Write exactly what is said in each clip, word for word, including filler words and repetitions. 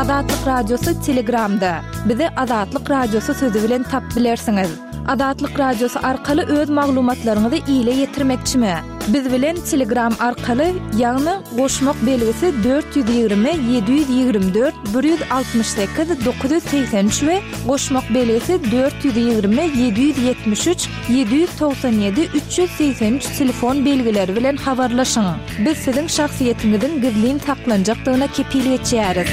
Azatlyk Radiosy Telegramda. Bizi Azatlyk Radiosy sözi bilen tapyp bilersiňiz. Azatlyk Radiosy arkaly öz maglumatlaryňyzy ile ýetirmekçimi? Biz bilen Telegram arkaly, ýagny goşmak belgisi dört ýüz ýigrimi ýedi ýüz ýigrimi dört bir ýüz altmyş sekiz dokuz ýüz segsen üç we goşmak belgisi dört ýüz ýigrimi ýedi ýüz ýetmiş üç ýedi ýüz togsan ýedi üç ýüz segsen üç telefon belgileri bilen habarlaşyň. Biz siziň şahsyýetiňiziň gizlin saklanjakdygyna kepil geçýäris.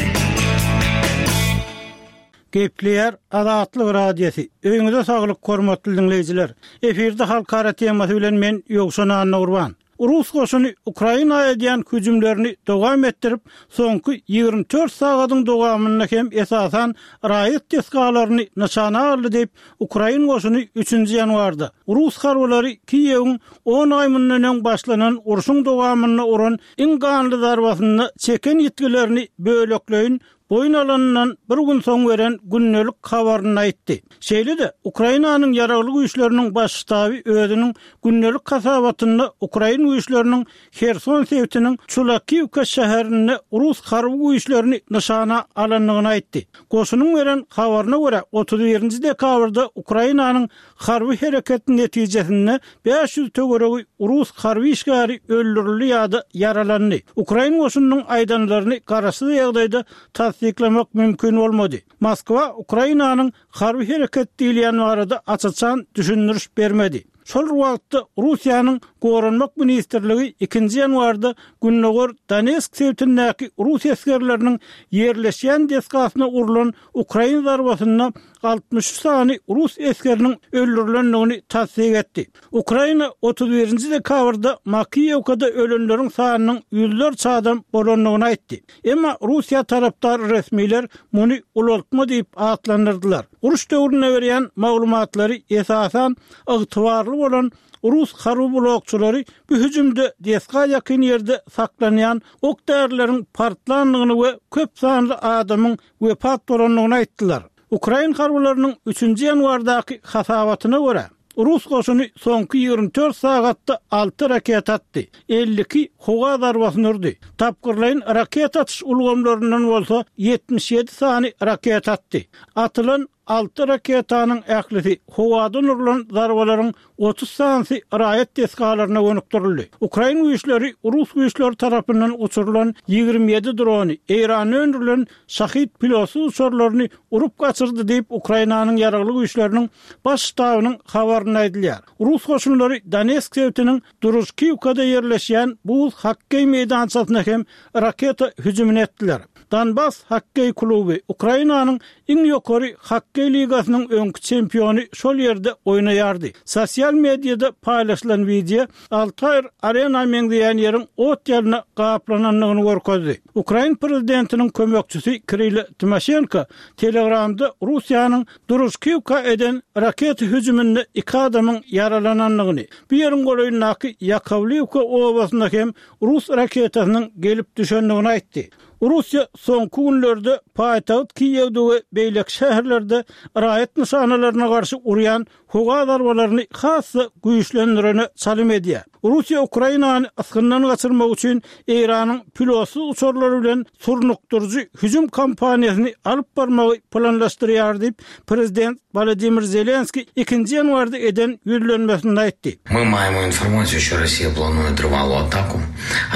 Gepleýär Azatlyk Radiosy. Öýüňize saglyk, hormatly diňleýjiler. Efirde halkara temasy bilen men Ýowşan Annagurban. Rus goşuny Ukraina edýän hüjümlerini dowam etdirip, soňky ýigrimi dört sagadyň dowamynda hem esasan raýat desgalaryny nyşana aldy diýip, ukrain goşuny üçünji ýanwarda rus harbylary Kiýewiň on aý mundan öň başlanan urşuň dowamynda uran iň ganly zarbasynda çeken ýitgilerini bölekleýin boýun alanyndan bir gün soň beren gündelik habarynda aýtdy. Şeýle-de, Ukrainanyň Ýaragly Güýçleriniň Baş ştaby özüniň gündelik hasabatynda ukrain güýçleriniň Herson sebitiniň Çulakiwka şäherinde rus harby güýçlerini nyşana alandygyny aýtdy. Goşunyň beren habaryna görä, otuz birinji dekabrda Ukrainanyň harby hereketi netijesinde bäş ýüz töweregi rus harby işgäri öldürildi ýa-da ýaralandy. Ukrain goşunynyň aýdanlaryny garaşsyz ýagdaýda tassyklamak mümkin bolmady. Moskwa Ukrainanyň harby hereket diýilýän barada aç-açan düşündiriş bermedi. Şol bir wagtda, Russiýanyň Goranmak ministrligi ikinji ýanwarda gündogar Donetsk sebitindäki rus esgerleriniň ýerleşýän desgasyna urlan ukrain zarbasynda altmyş üç sany rus esgeriniň öldürilendigini tassyk etdi. Ukraina otuz birinji dekabrda Makiýewkada ölenleriň sanynyň ýüzlerçe adam bolandygyny aýtdy. Emma Russiýa tarapdar resmiler muny ulaltma diýip atlandyrdylar. Uruş döwründe berýän maglumatlary esasan ygtybarly bolan rus harby blogçylary bu hüjümde desga ýakyn ýerde saklanýan ok-därileriň partlandygyny we köp sanly adamyň wepat bolandygyny aýtdylar. Ukrain harbylarynyň üçünji ýanwardaky hasabatyna görä, rus goşuny soňky ýigrimi dört sagatda alty raketa atdy, elli iki howa zarbasyny urdy, tapgyrlaýyn raketa atyş ulgamlaryndan bolsa ýetmiş ýedi sany raketa atdy. Atylan alty raketanyň ählisi howadan urlan zarbalaryň otuz sanysy raýat desgalaryna gönükdirildi. Ukrain güýçleri rus güýçleri tarapyndan uçurylan ýigrimi ýedi drony, Eýranda öndürilen Şahid pilotsyz uçarlaryny urup gaçyrdy diýip, Ukrainanyň Ýaragly Güýçleriniň Baş ştabynyň habarynda aýdylýar. Rus goşunlary Donetsk sebitiniň Družkiwkada ýerleşýän buz hokkeý meýdançasyna hem raketa hüjümini etdiler. Donbass hokkeý kluby, Ukrainanyň iň ýokary hokkeý ligasynyň öňki çempiony şol ýerde oýnaýardy. Sosial mediada paýlaşylan wideo Altair Arena meňzeýän ýeriň ot ýalyna gaplanandygyny görkezdi. Ukrain prezidentiniň kömekçisi Kirilo Timoşenko Telegramda Russiýanyň Družkiwka eden raketa hüjüminde iki adamyň ýaralanandygyny, bu ýeriň golaýyndaky Ýakowliwka obasynda hem rus raketasynyň gelip düşendigini aýtdy. Russiýa soňky günlerde paýtagt Kiýewde we beýleki şäherlerde raýat nyşanalaryna garşy urýan howa zarbalaryny has-da güýçlendirene çalym edýär. Russiýa Ukrainany ysgyndan gaçyrmak üçin Eýranyň pilotsyz uçarlary bilen surnukdyryjy hüjüm kampaniýasyny alyp barmagy planlaşdyrýar diýip, prezident Wolodymyr Zelenskiý ikinji ýanwarda eden ýüzlenmesinde aýtdy. Мы maýemo informasiýu, şo Rossiýa planuýe trwalu ataku,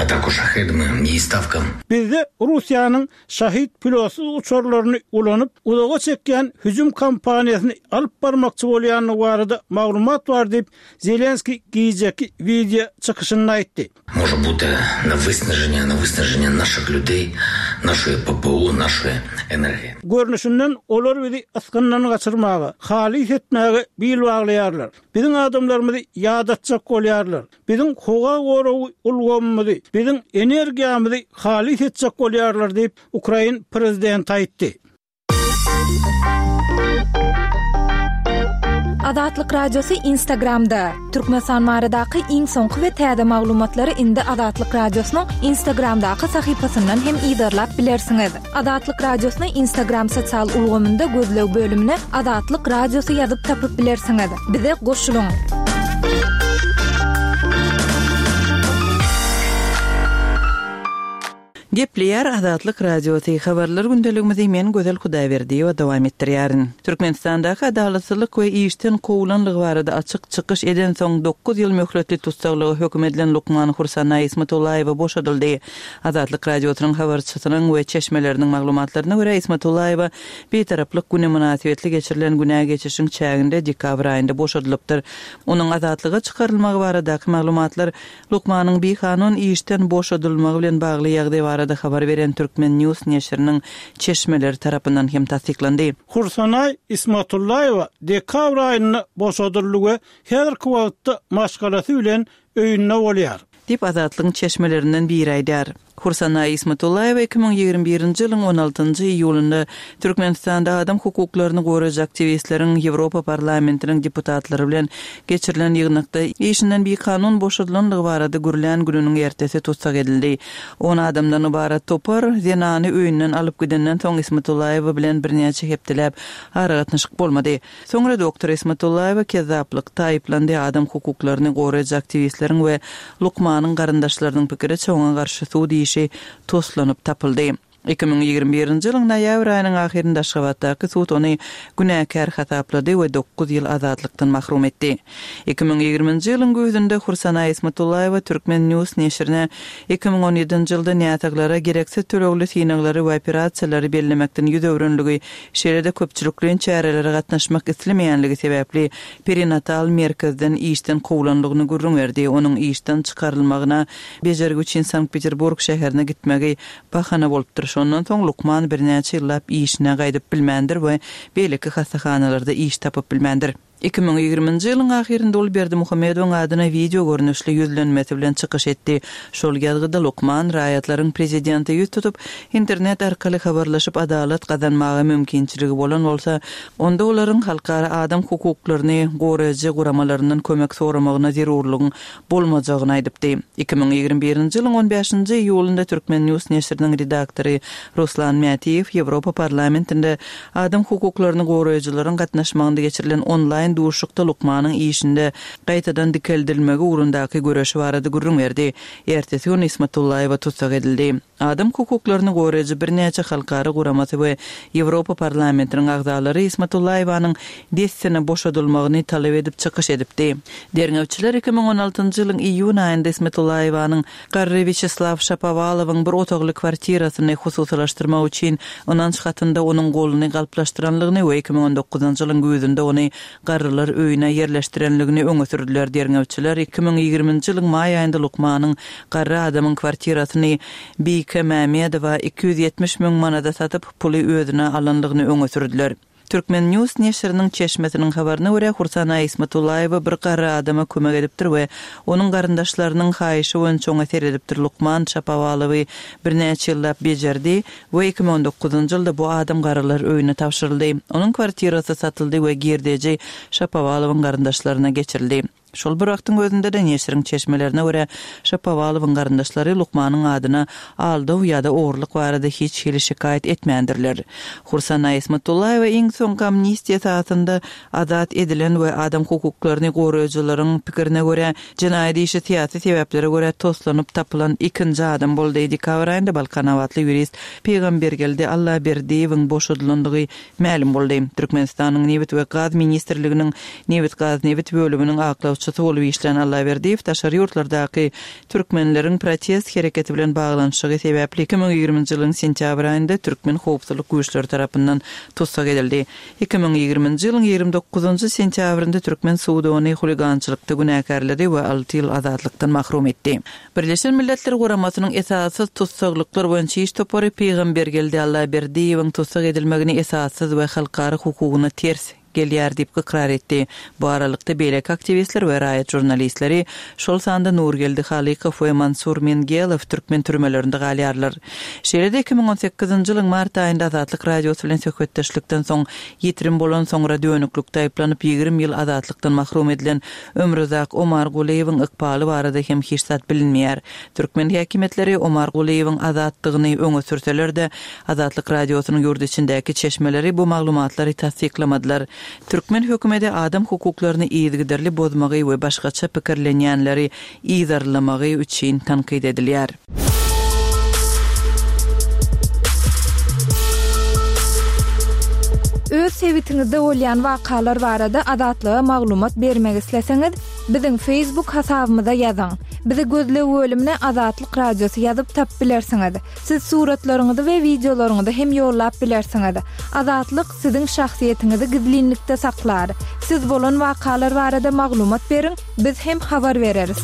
ataku şahedami, ýi stawka. Bizde Russiýanyň Şahid pilotsyz uçarlaryny ulanyp, uzaga çekýän hüjüm kampaniýasyny alyp barmakçy bolýandygy barada maglumat bar diýip, Zelenskiý gijeki wideo çykyşynda aýtdy. Może buty na wysnaženiýe, na wysnaženiýe naşyh lýudeý, naşoý PPO, naşoý energiýa. Görnüşinden, olar bizi ysgyndan gaçyrmaga, halys etmäge bil baglaýarlar. Biziň adamlarymyzy ýadatjak bolýarlar. Biziň howa goragy ulgamymyzy, biziň energiýamyzy halys etjek bolýarlar diýip, ukrain prezidenti aýtdy. Azatlyk Radiosy Instagramda. Türkmenistan baradaky iň soňky we täze maglumatlary indi Azatlyk Radiosynyň Instagramdaky sahypasyndan hem yzarlap bilersiňiz. Azatlyk Radiosyny Instagram sosial ulgamynda gözleg bölümine Azatlyk Radiosy ýazyp tapyp bilersiňiz. Bize goşulyň! Gepleýär Azatlyk Radiosy habarlar gündeligimizi men Gözel Hudaýberdiýewa dowam etdirýärin. Türkmenistandaky adalatsyzlyk we işden kowulanlygy barada açyk çykyş eden soň dokuz ýyl möhletli tussaglyga höküm edilen lukman Hursanaý Ismatullaýewa boşadyldy. Azatlyk Radiosynyň habarçysynyň we çeşmeleriniň maglumatlaryna görä Ismatullaýewa Bitaraplyk güni mynasybetli geçirilen günä geçişiň çäginde dekabr aýynda boşadylypdyr. Onuň azatlyga çykarylmagy baradaky maglumatlar lukmanyň bikanun işden boşadylmagy bilen bagly ýagdaý barada habar beren Türkmen News neşiriniň çeşmeleri tarapyndan hem tassyklandy. Hursanaý Ismatullaýewa dekabr aýynda boşadyldy we häzirki wagtda maşgalasy bilen öýünde bolýar. Diýip Azatlygyň çeşmelerinden biri aýdýar. Hursanaý Ismatullaýewa iki müň ýigrimi birinji ýylyň on altynjy iýulynda Türkmenistanda adam hukuklaryny goraýjy aktiwistleriň Ýewropa Parlamentiniň deputatlary bilen geçirilen ýygnakda işinden bikanun boşadylandygy barada gürlän gününiň ertesi tussag edildi. On adamdan ybarat topar zenany öýünden alyp gidenden soň Ismatullaýewa bilen birnäçe hepdeläp aragatnaşyk bolmady. Soňra doktor Ismatullaýewa kezzaplykda aýyplandy, adam hukuklaryny goraýjy aktiwistleriň we lukmanyň garyndaşlarynyň pikiriçe oňa garşy sud işi toslanyp tapyldy. Iki müň ýigrimi birinji ýylyň noýabr aýynyň ahyrynda Aşgabatdaky sud ony günäkär hasaplady we dokuz ýyl azatlykdan mahrum etdi. Iki müň ýigriminji ýylyň güýzünde Hursanaý Ismatullaýewa Türkmen News neşirine iki müň on ýedinji ýylda näsaglara gereksiz tölegli synaglary we operasiýalary bellemekden ýüz öwrenligi, şeýle-de köpçülikleýin çärelere gatnaşmak islemeýänligi sebäpli perinatal merkezden işden kowlanlygyny gürrüň berdi. Onuň işden çykarylmagyna bejergi üçin Sankt-Peterburg şäherine gitmegi bahana bolupdyr. Şondan soň lukman birnäçe ýyllap işine gaýdyp bilmändir we beýleki hassahanalarda iş tapyp bilmändir. Iki müň ýigriminji ýylyň ahyrynda ol Berdimuhamedowyň adyna wideo görnüşli ýüzlenmesi bilen çykyş etdi. Şol ýazgyda lukman raýatlaryň prezidente ýüz tutup, internet arkaly habarlaşyp adalat gazanmaga mümkinçiligi bolan bolsa, onda olaryň halkara adam hukuklaryny goraýjy guramalaryndan kömek soramagyna zerurlygyň bolmajagyny aýdypdy. Iki müň ýigrimi birinji ýylyň on bäşinji iýulynda Türkmen News neşiriniň redaktory Ruslan Mätiýew Ýewropa Parlamentinde adam hukuklaryny goraýjylaryň gatnaşmagynda geçirilen onlaýn duşuşykda lukmanyň işinde gaýtadan dikeldilmegi ugrundaky göreşi barada gürrüň berdi. Ertesi gün Ismatullaýewa tussag edildi. Adam hukuklaryny goraýjy birnäçe halkara guramasy we Ýewropa Parlamentiniň agzalary Ismatullaýewanyň dessine boşadylmagyny talap edip çykyş edipdi. Derňewçiler iki müň on altynjy ýylyň iýun aýynda Ismatullaýewanyň garry Wýaçeslaw Şapowalowyň bir otagly kwartirasyny hususylaşdyrmak üçin ynanç hatynda onuň goluny galplaşdyranlygyny we iki müň on dokuzynjy ýylyň güýzünde ony garrylar öýüne ýerleşdirenligini öňe sürdüler. Derňewçiler iki müň ýigriminji ýylyň maý aýynda lukmanyň garry adamyň kwartirasyny Bike Mämedowa iki ýüz ýetmiş müň manada satyp, puly özüne alanlygyny öňe sürdüler. Türkmen News neşiriniň çeşmesiniň habaryna görä, Hursanaý Ismatullaýewa bir garry adama kömek edipdir we onuň garyndaşlarynyň haýyşy boýunça oňa seredipdir. Lukman Şapowalowy birnäçe ýyllap bejerdi we iki müň on dokuzynjy ýylda bu adam garrylar öýüne tabşyryldy. Onuň kwartirasy satyldy we girdeji Şapowalowyň garyndaşlaryna geçirildi. Şol bir wagtyň özünde-de neşiriň çeşmelerine görä, Şapowalowyň garyndaşlary lukmanyň adyna aldaw ýa-da ogurlyk barada hiç hili şikaýat etmändirler. Hursanaý Ismatullaýewa iň soňky amnistiýa esasynda azat edilen we adam hukuklaryny goraýjylaryň pikirine görä, jenaýat işi syýasy sebäplere görä toslanyp tapylan ikinji adam boldy. Dekabr aýynda Balkanabatly ýurist Pygambergeldi Allaberdiýewiň boşadylandygy mälim boldy. Türkmenistanyň Nebit we gaz ministrliginiň Nebit-gaz-nebit bölüminiň aklawçysy bolup işlän Allaberdiýew daşary ýurtlardaky türkmenleriň protest hereketi bilen baglanyşygy sebäpli iki müň ýigriminji ýylyň sentýabr aýynda türkmen howpsuzlyk güýçleri tarapyndan tussag edildi. Iki müň ýigriminji ýylyň ýigrimi dokuzynjy sentýabrynda türkmen sudy ony huligançylykda günäkärledi we alty ýyl azatlykdan mahrum etdi. Birleşen Milletler Guramasynyň esassyz tussaglyklar boýunça iş topary Pygambergeldi Allaberdiýewiň tussag edilmegini esassyz we halkara hukugyna ters gelýär diýip ykrar etdi. Bu aralykda beýleki aktiwistler we raýat žurnalistleri, şol sanda Nurgeldi Halykow we Mansur Mengelow türkmen türmelerinde galýarlar. Şeýle-de iki müň on sekizinji ýylyň mart aýynda Azatlyk Radiosy bilen söhbetdeşlikden soň ýitirim bolan soňra dönüklikde aýyplanyp ýigrimi ýyl azatlykdan mahrum edilen Ömruzak Omar Gulyýewiň ykbaly barada hem hiç zat bilinmeýär. Türkmen häkimiýetleri Omar Gulyýewiň azatdygyny öňe sürseler-de, Azatlyk Radiosynyň ýurt içindäki çeşmeleri bu maglumatlary tassyklamadylar. Türkmen hökümeti adam hukuklaryny yzygiderli bozmagy we başgaça pikirlenýänleri yzarlamagy üçin tankyt edilýär. sebitiňizde bolýan wakalar barada Azatlyga maglumat bermek isleseňiz, biziň Facebook hasabymyza ýazyň. Bizi gözleg bölümine Azatlyk Radiosy ýazyp tapyp bilersiňiz. Siz suratlaryňyzy we wideolaryňyzy hem ýollap bilersiňiz. Azatlyk siziň şahsyýetiňizi gizlinlikde saklar. Siz bolan wakalar barada maglumat beriň, biz hem habar bereris.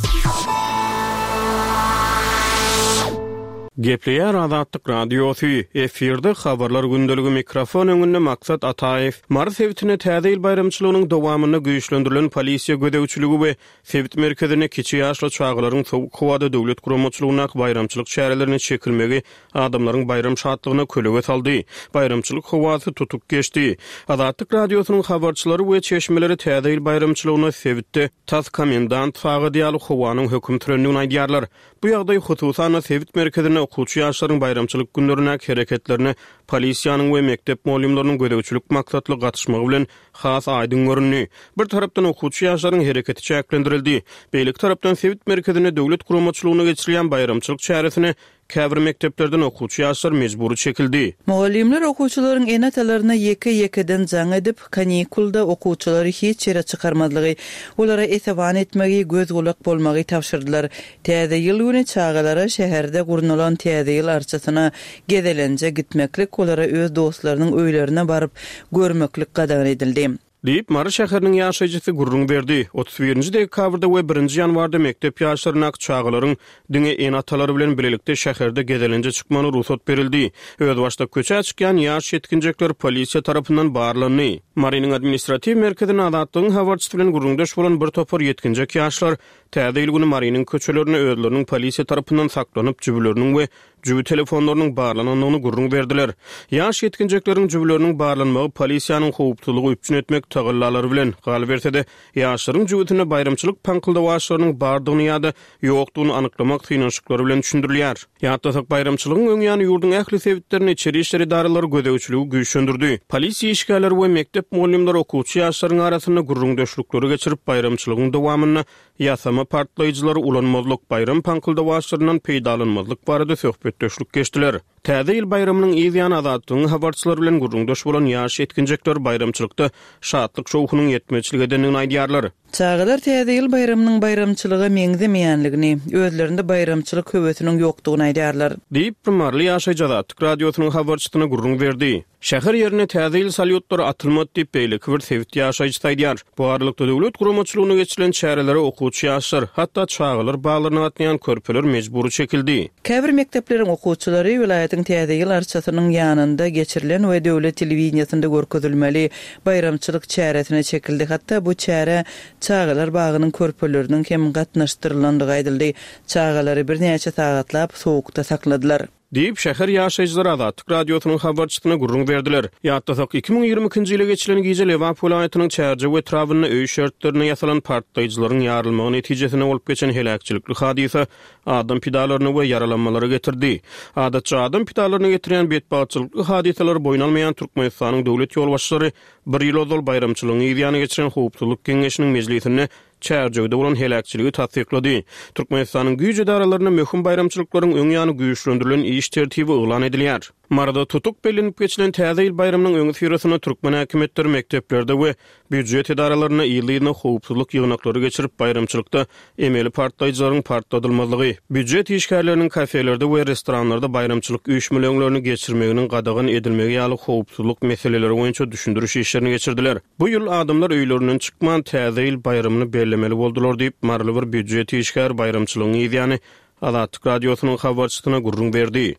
Gepleýär Azatlyk Radiosy, efirde habarlar gündeligi mikrofon öňünde Maksat Ataýew. Mary sebitinde Täze ýyl baýramçylygynyň dowamynda güýçlendirilen polisiýa gözegçiligi we sebit merkezinde kiçi ýaşly çagalaryň sowuk howada döwlet guramaçylygyndaky baýramçylyk çärelerine çekilmegi adamlaryň baýram şatlygyna kölege saldy. Baýramçylyk howasy tutuk geçdi. Azatlyk Radiosynyň habarçylary we çeşmeleri Täze ýyl baýramçylygyna sebitde tas komendant sagady ýaly howanyň höküm sürendigini aýdýarlar. Bu ýagdaý hususan sebit merkezinde okuwçy ýaşlaryň baýramçylyk günlerindäki hereketlerine polisiýanyň we mekdep mugallymlarynyň gözegçilik maksatly gatyşmagy bilen has aýdyň göründi. Bir tarapdan okuwçy ýaşlaryň hereketi çäklendirildi. Beýleki tarapdan sebit merkezinde döwlet guramaçylygyna geçirilýän baýramçylyk çäresine käbir mekdeplerden okuwçy ýaşlar mejbury çekildi. Mugallymlar okuwçylaryň ene-atalaryna ýeke-ýekeden jaň edip, kanikulda okuwçylary hiç ýere çykarmazlygy, olara esewan etmegi, göz gulak bolmagy tabşyrdylar. Täze ýyl güni çagalara şäherde gurnalan täze ýyl arçasyna gezelenje gitmeklik, olara öz dostlarynyň öýlerine baryp görmeklik gadagan edildi. Diýip, Mary şäheriniň ýaşaýjysy gürrüň berdi. Otuz birinji dekabrda we birinji ýanwarda mekdep ýaşlaryndaky çagalaryň diňe ene-atalary bilen birlikde şäherde gezelenje çykmagyna rugsat berildi. Özbaşdak köçä çykýan ýaş ýetginjekler polisiýa tarapyndan barlandy. Marynyň administratiw merkezinde Azatlygyň habarçysy bilen gürrüňdeş bolan bir topar ýetginjek ýaşlar Täze ýyl güni Marynyň köçelerinde özleriniň polisiýa tarapyndan saklanyp, jübüleriniň we jübi telefonlarynyň barlanandygyny gürrüň berdiler. Ýaş ýetginjekleriň jübüleriniň barlanmagy polisiýanyň howpsuzlygy üpjün etmek tagallalary bilen, galyberse-de, ýaşlaryň jübüsinde baýramçylyk paňkyldawaçlarynyň bardygyny ýa-da ýokdugyny anyklamak synanyşyklary bilen düşündirilýär. Ýatlasak, baýramçylygyň öň ýany ýurduň ähli sebitlerinde içeri işler edaralary gözegçiligi güýçlendirdi. Polisiýa işgärleri we mekdep mugallymlary okuwçy ýaşlaryň arasynda gürrüňdeşlikleri geçirip, baýramçylygyň dowamynda ýasama partlaýjylary ulanmazlyk, baýram paňkyldawaçlaryndan peýdalanmazlyk barada söhbetdeşlik geçdiler. Täze ýyl baýramynyň yz ýany Azatlygyň habarçylary bilen gürrüňdeş bolan ýaş ýetginjekler baýramçylykda şatlyk şowhunyň ýetmezçilik edendigini aýdýarlar. Çagalar Täze ýyl baýramynyň baýramçylyga meňzemeýänligini, özlerinde baýramçylyk höwesiniň ýokdugyny aýdýarlar. Diýip, bir maryly ýaşaýjy Azatlyk Radiosynyň habarçysyna gürrüň berdi. Şäher ýerine Täze ýyl salýutlary atylmady diýip, beýleki bir sebit ýaşaýjysy aýdýar. Bu aralykda döwlet guramaçylygyna geçirilen çärelere okuwçy ýaşlar, hatda çagalar baglaryna gatnaýan körpeler mejbury çekildi. Käbir mekdepleriň okuwçylary welaýatyň Täze ýyl arçasynyň ýanynda geçirilen we döwlet telewideniýesinde görkezilmeli baýramçylyk çäresine çekildi. Hatda bu çärä çagalar bagynyň körpeleriniň hem gatnaşdyrylandygy aýdyldy. Çagalary birnäçe sagatlap sowukda sakladylar. Diýip, şäher ýaşaýjylary Azatlyk Radiosynyň habarçysyna gürrüň berdiler. Ýatlasak, iki müň ýigrimi ikinji ýyla geçilen gije Lebap welaýatynyň Çärjew etrabynda öý şertlerinde ýasalan partlaýjylaryň ýarylmagy netijesinde bolup geçen heläkçilikli hadysa adam pidalaryna we ýaralanmalara getirdi. Adatça adam pidalaryna getirýän betbagtçylykly hadysalary boýun almaýan Türkmenistanyň döwlet ýolbaşçylary bir ýyl ozal baýramçylygyň yzýany geçiren Howpsuzlyk Geňeşiniň mejlisinde Çärjewde bolan heläkçiligi tassyklady. Türkmenistanyň güýç edaralarynda möhüm baýramçylyklaryň öň ýany güýçlendirilen iş tertibi yglan edilýär. Maryda tutuk bellenip geçilen Täze ýyl baýramynyň öňüsyrasynda türkmen häkimiýetleri mekdeplerde we býujet edaralarynda ýyly-ýylyna howpsuzlyk ýygnaklary geçirip, baýramçylykda emeli partlaýjylaryň partladylmazlygy, býujet işgärleriniň kafelerde we restoranlarda baýramçylyk üýşmeleňlerini geçirmeginiň gadagan edilmegi ýaly howpsuzlyk meseleleri boýunça düşündiriş işlerini geçirdiler. Bu ýyl adamlar öýlerinden çykman Täze ýyl baýramyny bellemeli boldular diýip, maryly bir býujet işgäri baýramçylygyň yzýany Azatlyk Radiosynyň habarçysyna gürrüň berdi.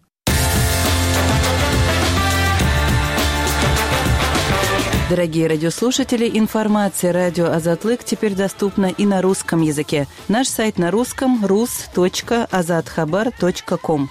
Дорогие радиослушатели, информация радио Азатлык теперь доступна и на русском языке. Наш сайт на русском рус точка азатхабар точка ком.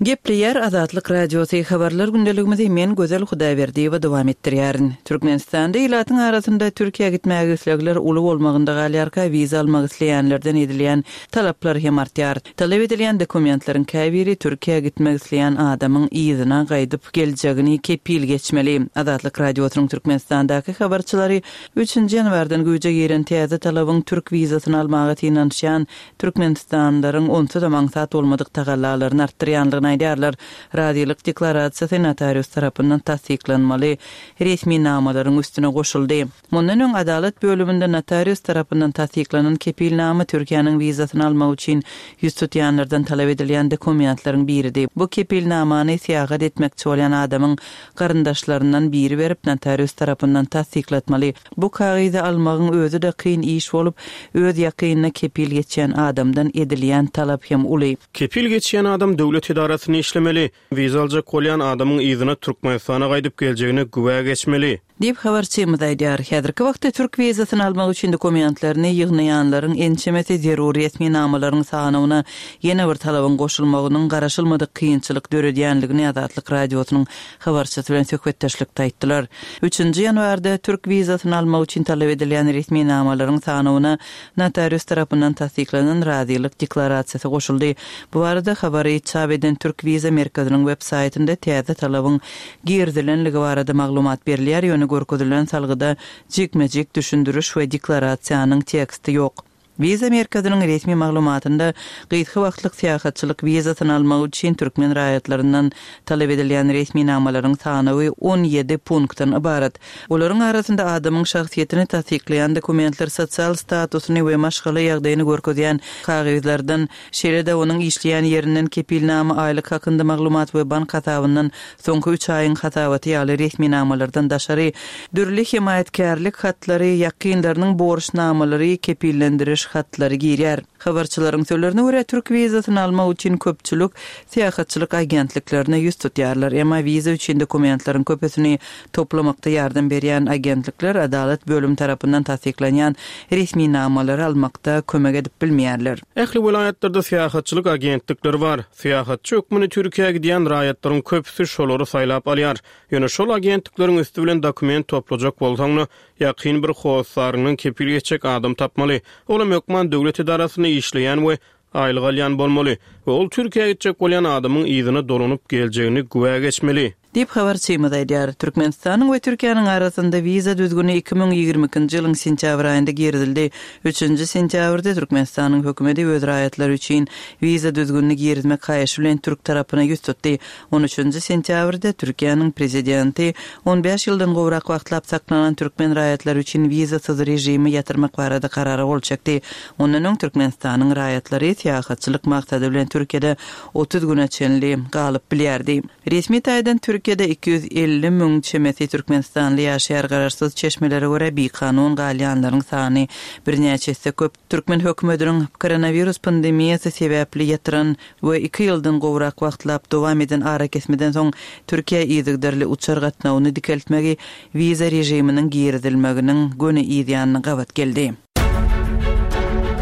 Gepleýär Azatlyk Radiosy habarlar gündeligimizi men Gözel Hudaýberdiýewa dowam etdirýärin. Türkmenistanda ilatyň arasynda Türkiýä gitmäge islegler uly bolmagynda galýarka wiza almak isleýänlerden edilýän talaplar hem artýar. Talap edilýän dokumentleriň käbiri Türkiýä gitmek isleýän adamyň yzyna gaýdyp geljegini kepil geçmeli. Azatlyk Radiosynyň Türkmenistandaky habarçylary üçünji ýanwardan güýje giren täze talabyň türk wizasyny almaga synanyşýan Türkmenistanlylaryň onsuz-da aňsat bolmadyk tagallalaryny artdyrýandygyny boljakdygyny aýdýarlar. Razylyk deklarasiýasy notarius tarapyndan tassyklanmaly resminamalaryň üstüne goşuldy. Mundan öň Adalat bölüminde notarius tarapyndan tassyklanan kepilnama Türkiýäniň wizasyny almak üçin ýüz tutýanlardan talap edilýän dokumentleriň biridi. Bu kepilnamany syýahat etmekçi bolýan adamyň garyndaşlaryndan biri berip, notarius tarapyndan tassyklatmaly. Bu kagyzy almagyň özi-de kyn iş bolup, öz ýakynyna kepil geçýän adamdan edilýän talap hem uly. Kepil geçýän adam döwlet edarasynda işlemeli, wiza aljak bolýan adamyň yzyna Türkmenistana gaýdyp geljegine güwä geçmeli. Diýip, habarçymyz aýdýar. Häzirki wagtda türk wizasyny almak üçin dokumentlerini ýygnaýanlaryň ençemesi zerur resminamalaryň sanawyna ýene bir talabyň goşulmagynyň garaşylmadyk kynçylyk döredýänligini Azatlyk Radiosynyň habarçysy bilen söhbetdeşlikde aýtdylar. Üçünji ýanwarda türk wizasyny almak üçin talap edilýän resminamalaryň sanawyna notarius tarapyndan tassyklanan razylyk deklarasiýasy goşuldy. Bu barada habary çap eden Türk wiza merkeziniň web saýtynda täze talabyň girizilenligi barada maglumat berilýär, ýöne görkezilen salgyda jikme-jik düşündiriş we deklarasiýanyň teksti ýok. Wiza merkeziniň resmi maglumatynda gysga wagtlyk syýahatçylyk wizasyny almak üçin türkmen raýatlaryndan talap edilýän resminamalaryň sanawy on ýedi punktdan ybarat. Olaryň arasynda adamyň şahsyýetini tassyklaýan dokumentler, sosial statusyny we maşgala ýagdaýyny görkezýän kagyzlardan, şeýle-de onuň işleýän ýerinden kepilnama, aýlyk hakynda maglumat we bank hasabyndan soňky üç aýyň hasabaty ýaly resminamalardan daşary, dürli hemaýatkärlik hatlary, ýakynlarynyň borçnamalary, kepillendiriş hatlary girýär. Habarçylaryň sözlerine görä, türk wizasyny almak üçin köpçülik syýahatçylyk agentliklerine ýüz tutýarlar. Emma wiza üçin dokumentleriň köpüsini toplamakda ýardam berýän agentlikler adalat bölümi tarapyndan tassyklanýan resminamalary almakda kömek edip bilmeýärler. Ähli welaýatlarda syýahatçylyk agentlikleri bar. Syýahatçy hökmünde Türkiýä gidýän raýatlaryň köpüsi şolary saýlap alýar. Ýöne şol agentlikleriň üsti bilen dokument toplajak bolsaň-da, ýakyn bir hossaryňdan kepil geçjek adam tapmaly. Olam hökman döwlet edarasynda işleýän we aýlyk alýan bolmaly we ol Türkiýä gitjek bolýan adamyň yzyna dolanyp geljegini güwä geçmeli. Diýip habarçymyz aýdýar. Türkmenistanyň we Türkiýäniň arasynda wiza düzgüni iki müň ýigrimi ikinji ýylyň sentýabr aýynda girizildi. Üçünji sentýabrda Türkmenistanyň hökümeti öz raýatlary üçin wiza düzgünini girizmek haýyşy bilen türk tarapyna ýüz tutdy. On üçünji sentýabrda Türkiýäniň prezidenti on bäş ýyldan gowrak wagtlap saklanan türkmen raýatlary üçin wizasyz režimi ýatyrmak barada karara gol çekdi. Ondan öň Türkmenistanyň raýatlary syýahatçylyk maksady bilen Türkiýede otuz güne çenli galyp bilýärdi. Resmi taýdan Türkiýede iki ýüz elli müň çemesi türkmenistanly ýaşaýar. Garaşsyz çeşmelere görä bikanun galýanlaryň sany birnäçe esse köp. Türkmen hökümetiniň koronawirus pandemiýasy sebäpli ýatyran we iki ýyldan gowrak wagtlap dowam eden arakesmeden soň Türkiýe yzygiderli uçar gatnawyny dikeltmegi wiza režiminiň girizilmeginiň göni yzýanyna gabat geldi.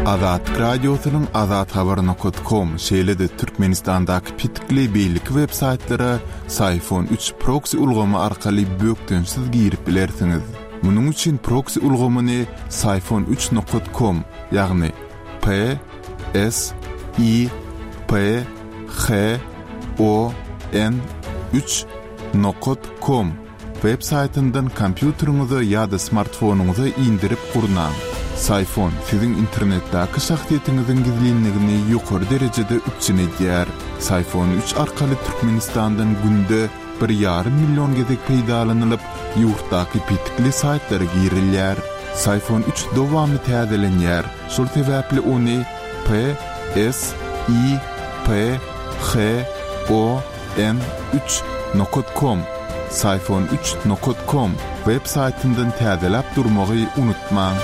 Azatlyk Radiosynyň Azat Habar nokta com, şeýle-de Türkmenistandaky petikli beýleki web saýtlara Syfon üç proxy ulgamy arkaly bökdençsiz girip bilersiňiz. Munuň üçin proxy ulgamyny Syfon üç nokta com, ýagny P S I P H O N üç nokta com web saýtyndan kompýuteriňize ýa-da smartfonyňyza indirip gurnaň. Syfon siziň internetdäki şahsyýetiňiziň gizlinligini ýokary derejede üpjün edýär. Syfon üç arkaly Türkmenistandan günde bir ýarym million gezek peýdalanylyp, ýurtdaky petikli saýtlara girilýär. Syfon üç dowamly täzelenýär. Şol sebäpli ony P S I P H O N üç nokta com, Syfon üç nokta com web saýtyndan täzeläp durmagy unutmaň.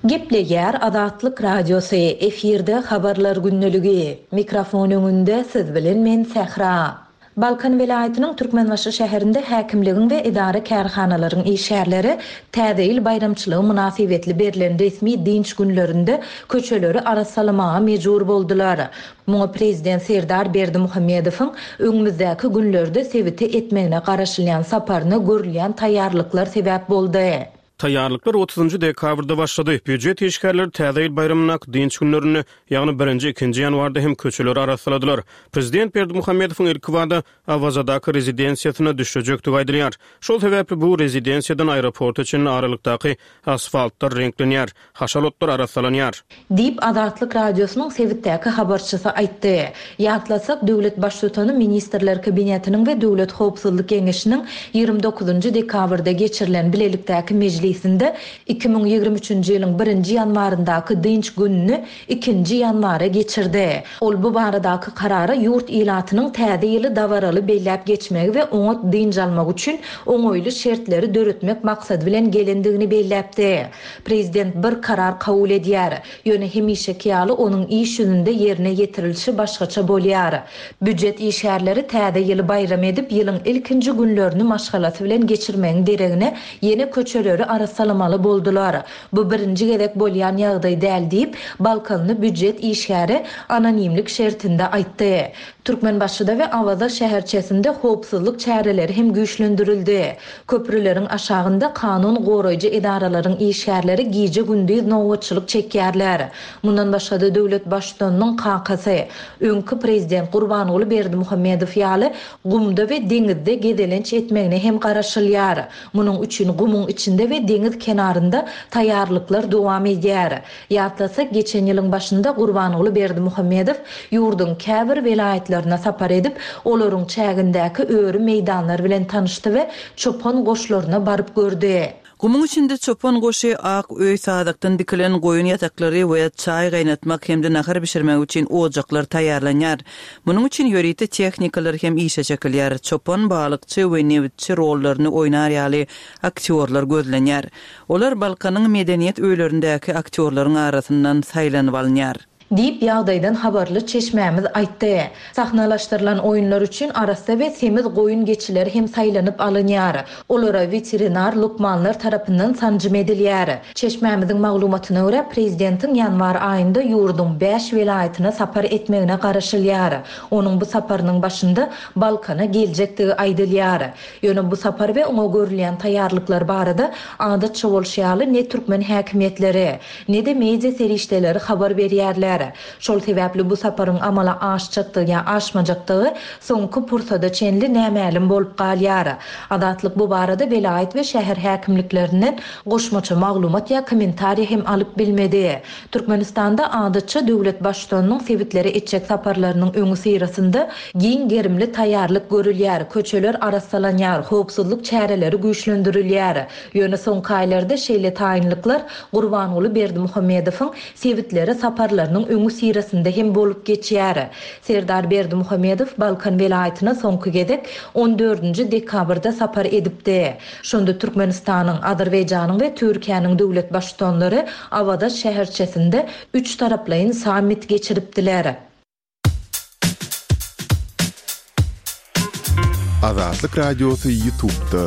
Gepleýär Azatlyk Radiosy, efirde habarlar gündeligi. Mikrofon öňünde siz bilen men Sähra. Balkan welaýatynyň Türkmenbaşy şäherinde häkimligiň we edara kärhanalaryň işgärleri Täze ýyl baýramçylygy mynasybetli berlen resmi dinç günlerinde köçeleri arassalamaga mejbur boldular. Muňa prezident Serdar Berdimuhamedowyň öňümizdäki günlerde sebite etmegine garaşylýan saparyna görülýän taýýarlyklar sebäp boldy. Taýýarlyklar otuzynjy dekabrda başlady. Býujet işgärleri Täze ýyl baýramyndaky dynç günlerinde, ýagny birinji, ikinji ýanwarda hem köçeleri arassaladylar. Prezident Berdimuhamedowyň ilkibada Awazadaky rezidensiýasyna düşlejekdigi aýdylýar. Şol sebäpli bu rezidensiýadan aeroporta çenli aralykdaky asfaltlar reňklenýär, haşal otlar arassalanýar. Diýip, Azatlyk Radiosynyň sebitdäki habarçysy aýtdy. Ýatlasak, döwlet Baştutany Ministrler Kabinetiniň we Döwlet howpsuzlyk geňeşiniň ýigrimi dokuzynjy dekabrda geçirilen bilelikdäki mejlisinde iki müň ýigrimi üçünji ýylyň birinji ýanwaryndaky dynç gününi ikinji ýanwara geçirdi. Ol bu baradaky karara ýurt ilatynyň Täze ýyly dabaraly belläp geçmegi we oňat dynç almagy üçin oňaýly şertleri döretmek maksady bilen gelendigini belläpdi. Prezident bir karar kabul edýär. Ýöne hemişeki ýaly onuň iş ýüzünde ýerine ýetirilişi başgaça bolýar. Býujet işgärleri Täze ýyly baýram edip, ýylyň ilkinji günlerini maşgalasy bilen geçirmegiň deregine ýene köçeleri arassalamaly boldular. Bu birinji gezek bolýan ýagdaý däl diýip, balkanly býujet işgäri anonimlik şertinde aýtdy. Türkmenbaşyda we Awaza şäherçesinde howpsuzlyk çäreleri hem güýçlendirildi. Köprüleriň aşagynda kanun goraýjy edaralaryň işgärleri gije-gündiz nobatçylyk çekýärler. Mundan başga-da döwlet Baştutanynyň kakasy, öňki prezident Gurbanguly Berdimuhamedow ýaly gumda we deňizde gezelenç etmegine hem garaşylýar. Munuň üçin gumuň içinde we deňiz kenarynda taýýarlyklar dowam edýär. Ýatlasak, geçen ýylyň başynda Gurbanguly Berdimuhamedow ýurduň käbir welaýatlaryna sapar edip, olaryň çägindäki öri meýdanlar bilen tanyşdy we çopan goşlaryna baryp gördi. Gumuň içinde çopan goşy, ak öý, sazakdan dikilen goýun ýataklary we çaý gaýnatmak hem-de nahar bişirmek üçin ojaklar taýýarlanýar. Munuň üçin ýörite tehnikalar hem işe çekilýär. Çopan, balykçy we nebitçi rollaryny oýnar ýaly aktýorlar gözlenýär. Olar Balkanyň medeniýet öýlerindäki aktýorlaryň arasyndan saýlanyp alynýar. Diýip, ýagdaýdan habarly çeşmämiz aýtdy. Sahnalaşdyrylan oýunlar üçin arassa we semiz goýun-geçiler hem saýlanyp alynýar. Olara weterinar lukmanlar tarapyndan sanjym edilýär. Çeşmämiziň maglumatyna görä, prezidentiň ýanwar aýynda ýurduň bäş welaýatyna sapar etmegine garaşylýar. Onuň bu saparynyň başynda Balkana geljekdigi aýdylýar. Ýöne bu sapar we oňa görülýän taýýarlyklar barada adatça bolşy ýaly ne türkmen häkimiýetleri, ne-de media serişdeleri habar berýärler. Şol sebäpli bu saparyň amala aşjakdygy ýa aşmajakdygy soňky pursada çenli nämälim bolup galýar. Azatlyk bu barada welaýat we şäher häkimliklerinden goşmaça maglumat ýa kommentariý hem alyp bilmedi. Türkmenistanda adatça döwlet Baştutanynyň sebitlere etjek saparlarynyň öňüsyrasynda giň gerimli taýýarlyk görülýär, köçeler arassalanýar, howpsuzlyk çäreleri güýçlendirilýär. Ýöne soňky aýlarda şeýle taýynlyklar Gurbanguly Berdimuhamedowyň sebitlere saparlarynyň öňüsyrasynda hem bolup geçýär. Serdar Berdimuhamedow Balkan welaýatyna soňky gezek on dördünji dekabrda sapar edipdi. Şonda Türkmenistanyň, Azerbaýjanyň we Türkiýäniň döwlet Baştutanlary Awaza şäherçesinde üç taraplaýyn sammit geçiripdiler. Azatlyk Radiosy YouTube'da.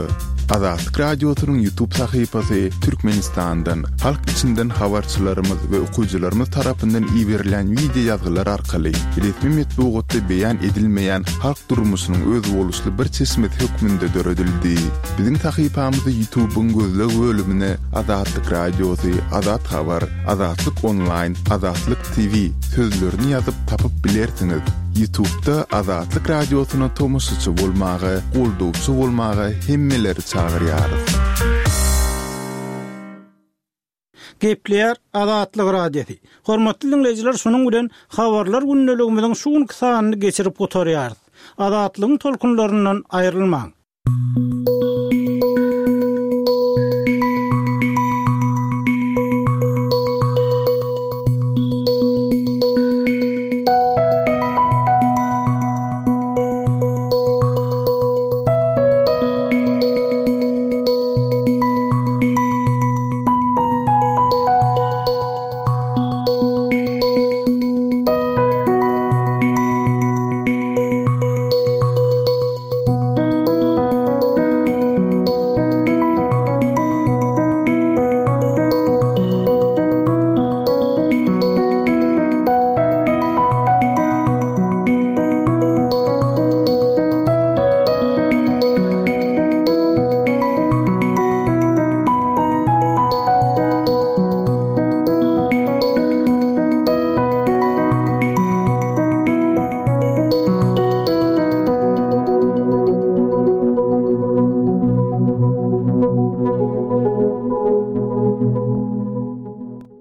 Azatlyk Radiosynyň YouTube sahypasy Türkmenistandan, halk içinden habarçylarymyz we okyjylarymyz tarapyndan iberilen wideo ýazgylar arkaly resmi metbugatda beýan edilmeýän halk durmuşynyň özboluşly bir çeşmesi hökmünde döredildi. Biziň sahypamyzy YouTube'yň gözleg bölümine Azatlyk Radiosy, Azat Habar, Azatlyk Online, Azatlyk T V sözlerini ýazyp tapyp bilersiňiz. YouTube'da Azatlyk Radiosyna tomaşaçy bolmaga, goldawçy bolmaga hemmeleri çagyrýarys. Gepleýär Azatlyk Radiosy. Hormatly dinleýjiler, şunuň bilen habarlar gündeligimiziň şu günki sanyny geçirip gutarýarys. Azatlygyň tolkunlaryndan aýrylmaň.